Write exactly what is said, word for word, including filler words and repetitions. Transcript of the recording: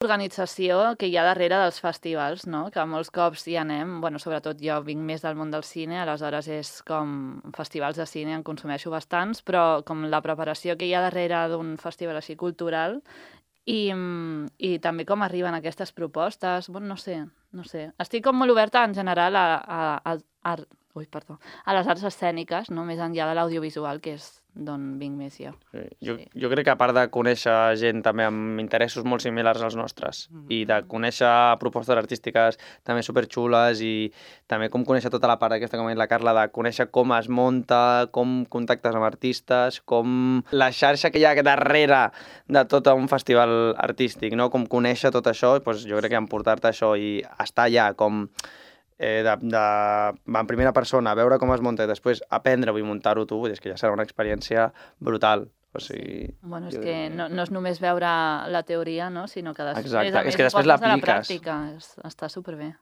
L'organització que hi ha darrere dels festivals, no? Que molts cops hi anem, bueno, sobretot jo vinc més del món del cine, aleshores és com festivals de cine, en consumeixo bastants, però com la preparació que hi ha darrere d'un festival així cultural i, i també com arriben aquestes propostes, bueno, no sé, no sé. Estic com molt oberta en general a, a, a, a, ui, perdó, a les arts escèniques, no? Més enllà de l'audiovisual, que és d'on vinc més jo. Sí. Jo, sí. jo crec que a part de conèixer gent també amb interessos molt similars als nostres mm. i de conèixer propostes artístiques també superxules i també com conèixer tota la part aquesta, com ha dit la Carla, de conèixer com es munta, com contactes amb artistes, com la xarxa que hi ha darrere de tot un festival artístic, no? Com conèixer tot això, doncs jo crec que emportar-te això i estar allà com... Eh, de, de, en primera persona, veure com es munta i després aprendre-ho i muntar-ho tu, és que ja serà una experiència brutal. O sigui, sí. Bueno, és que no, no és només veure la teoria, no? Sinó que després, Exacte. a més, és que després ho poses a la l'apliques. pràctica. Està superbé.